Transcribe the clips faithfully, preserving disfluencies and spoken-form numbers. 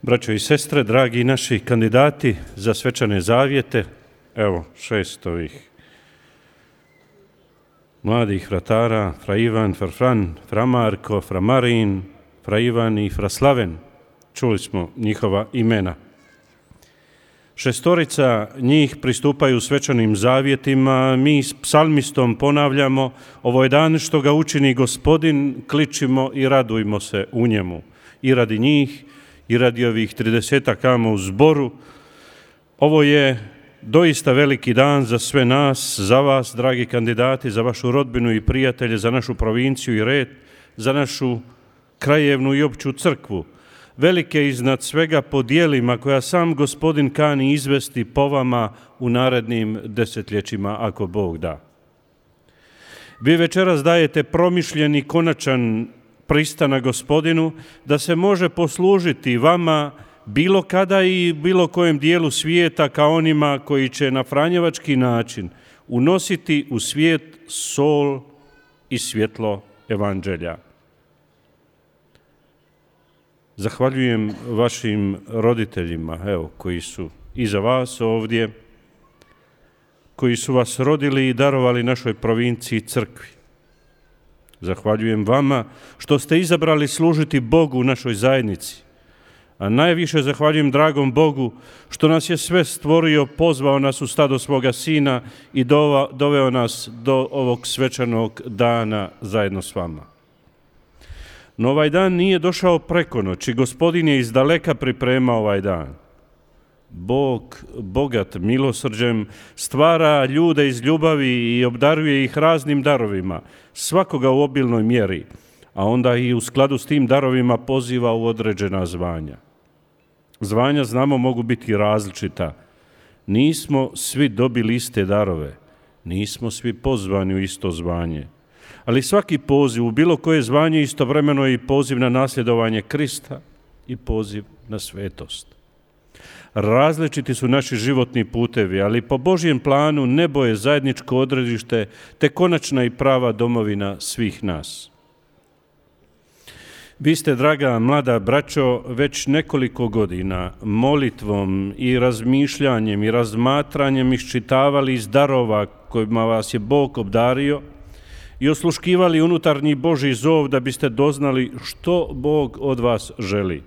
Braćo i sestre, dragi naši kandidati za svečane zavjete, evo šest ovih mladih fratara, fra Ivan, fra Fran, fra Marko, fra Marin, fra Ivan i fra Slaven. Čuli smo njihova imena. Šestorica njih pristupaju svečanim zavjetima, mi s psalmistom ponavljamo: ovo je dan što ga učini Gospodin, kličimo i radujmo se u njemu. I radi njih, i radi ovih tridesetak amo u zboru. Ovo je doista veliki dan za sve nas, za vas, dragi kandidati, za vašu rodbinu i prijatelje, za našu provinciju i red, za našu krajevnu i opću crkvu. Velike iznad svega po dijelima koja sam Gospodin kani izvesti po vama u narednim desetljećima, ako Bog da. Vi večeras dajete promišljeni, konačan pristanak Gospodinu da se može poslužiti vama bilo kada i bilo kojem dijelu svijeta kao onima koji će na franjevački način unositi u svijet sol i svjetlo evanđelja. Zahvaljujem vašim roditeljima, evo, koji su iza vas ovdje, koji su vas rodili i darovali našoj provinciji crkvi. Zahvaljujem vama što ste izabrali služiti Bogu u našoj zajednici. A najviše zahvaljujem dragom Bogu što nas je sve stvorio, pozvao nas u stado svoga Sina i doveo nas do ovog svečanog dana zajedno s vama. No ovaj dan nije došao preko noći, Gospodin je iz daleka pripremao ovaj dan. Bog, bogat milosrđem, stvara ljude iz ljubavi i obdaruje ih raznim darovima, svakoga u obilnoj mjeri, a onda i u skladu s tim darovima poziva u određena zvanja. Zvanja, znamo, mogu biti različita. Nismo svi dobili iste darove, nismo svi pozvani u isto zvanje. Ali svaki poziv u bilo koje zvanje istovremeno je i poziv na nasljedovanje Krista i poziv na svetost. Različiti su naši životni putevi, ali po Božjem planu nebo je zajedničko odredište te konačna i prava domovina svih nas. Vi ste, draga mlada braćo, već nekoliko godina molitvom i razmišljanjem i razmatranjem iščitavali iz darova kojima vas je Bog obdario i osluškivali unutarnji Božji zov da biste doznali što Bog od vas želi.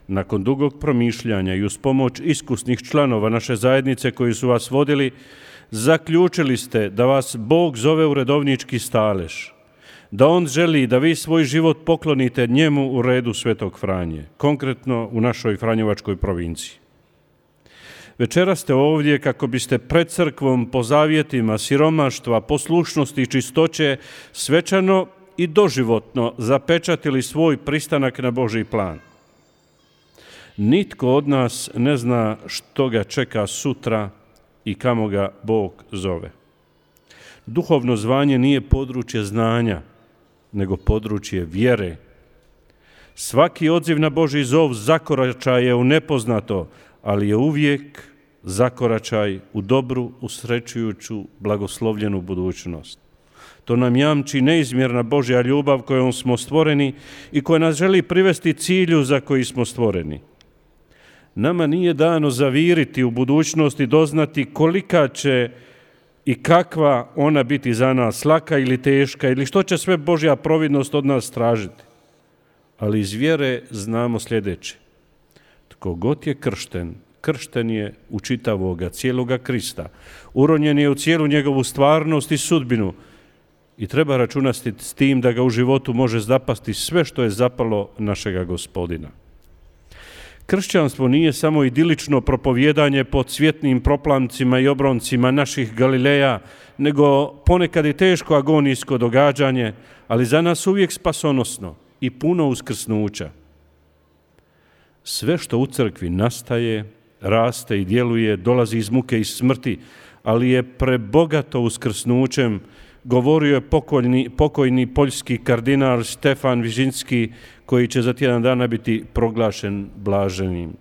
Nakon dugog promišljanja i uz pomoć iskusnih članova naše zajednice koji su vas vodili, zaključili ste da vas Bog zove u redovnički stalež, da On želi da vi svoj život poklonite njemu u redu Svetog Franje, konkretno u našoj franjevačkoj provinciji. Večera ste ovdje kako biste pred crkvom po zavjetima siromaštva, poslušnosti i čistoće svečano i doživotno zapečatili svoj pristanak na Božji plan. Nitko od nas ne zna što ga čeka sutra i kamo ga Bog zove. Duhovno zvanje nije područje znanja, nego područje vjere. Svaki odziv na Božji zov zakoračaj je u nepoznato, ali je uvijek zakoračaj u dobru, usrećujuću, blagoslovljenu budućnost. To nam jamči neizmjerna Božja ljubav kojom smo stvoreni i koja nas želi privesti cilju za koji smo stvoreni. Nama nije dano zaviriti u budućnost i doznati kolika će i kakva ona biti za nas, laka ili teška, ili što će sve Božja providnost od nas tražiti. Ali iz vjere znamo sljedeće. Tko god je kršten, kršten je u čitavoga, cijeloga Krista. Uronjen je u cijelu njegovu stvarnost i sudbinu i treba računati s tim da ga u životu može zapasti sve što je zapalo našega Gospodina. Kršćanstvo nije samo idilično propovijedanje pod svjetnim proplancima i obroncima naših Galileja, nego ponekad i teško agonijsko događanje, ali za nas uvijek spasonosno i puno uskrsnuća. Sve što u crkvi nastaje, raste i djeluje, dolazi iz muke i smrti, ali je prebogato uskrsnućem, govorio je pokojni, pokojni poljski kardinal Stefan Vižinski, koji će za tjedan dana biti proglašen blaženim.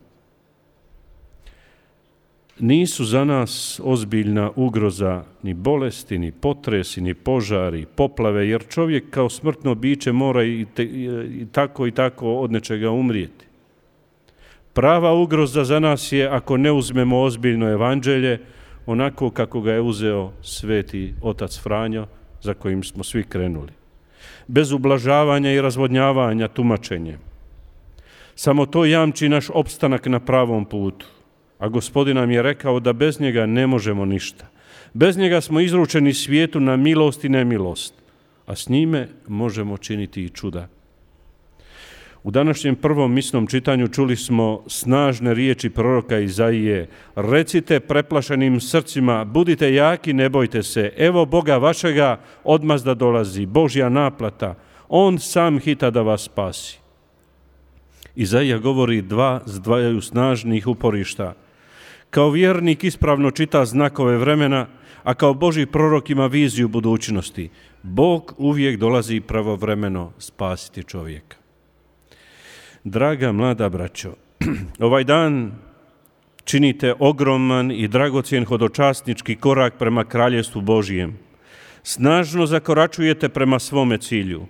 Nisu za nas ozbiljna ugroza ni bolesti, ni potresi, ni požari, poplave, jer čovjek kao smrtno biće mora i, te, i tako i tako od nečega umrijeti. Prava ugroza za nas je ako ne uzmemo ozbiljno evanđelje, onako kako ga je uzeo sveti otac Franjo, za kojim smo svi krenuli. Bez ublažavanja i razvodnjavanja tumačenjem. Samo to jamči naš opstanak na pravom putu. A Gospodin nam je rekao da bez njega ne možemo ništa. Bez njega smo izručeni svijetu na milost i nemilost, a s njime možemo činiti i čuda. U današnjem prvom misnom čitanju čuli smo snažne riječi proroka Izaije. Recite preplašenim srcima, budite jaki, ne bojte se. Evo Boga vašega odmazda dolazi, Božja naplata. On sam hita da vas spasi. Izaija govori dva s dvaju snažnih uporišta. Kao vjernik ispravno čita znakove vremena, a kao Božji prorok ima viziju budućnosti. Bog uvijek dolazi pravovremeno spasiti čovjeka. Draga mlada braćo, ovaj dan činite ogroman i dragocjen hodočasnički korak prema Kraljevstvu Božjem. Snažno zakoračujete prema svome cilju.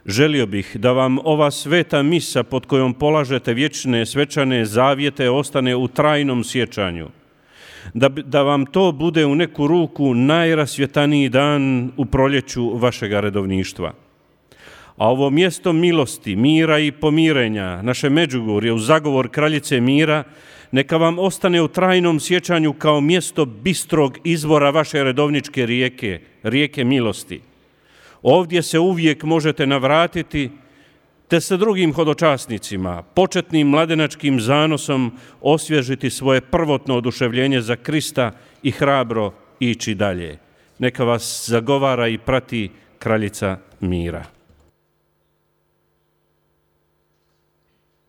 Želio bih da vam ova sveta misa pod kojom polažete vječne svečane zavjete ostane u trajnom sjećanju. Da, da vam to bude u neku ruku najrasvjetaniji dan u proljeću vašega redovništva. A ovo mjesto milosti, mira i pomirenja, naše Međugorje u zagovor kraljice mira, neka vam ostane u trajnom sjećanju kao mjesto bistrog izvora vaše redovničke rijeke, rijeke milosti. Ovdje se uvijek možete navratiti, te sa drugim hodočasnicima, početnim mladenačkim zanosom osvježiti svoje prvotno oduševljenje za Krista i hrabro ići dalje. Neka vas zagovara i prati kraljica mira.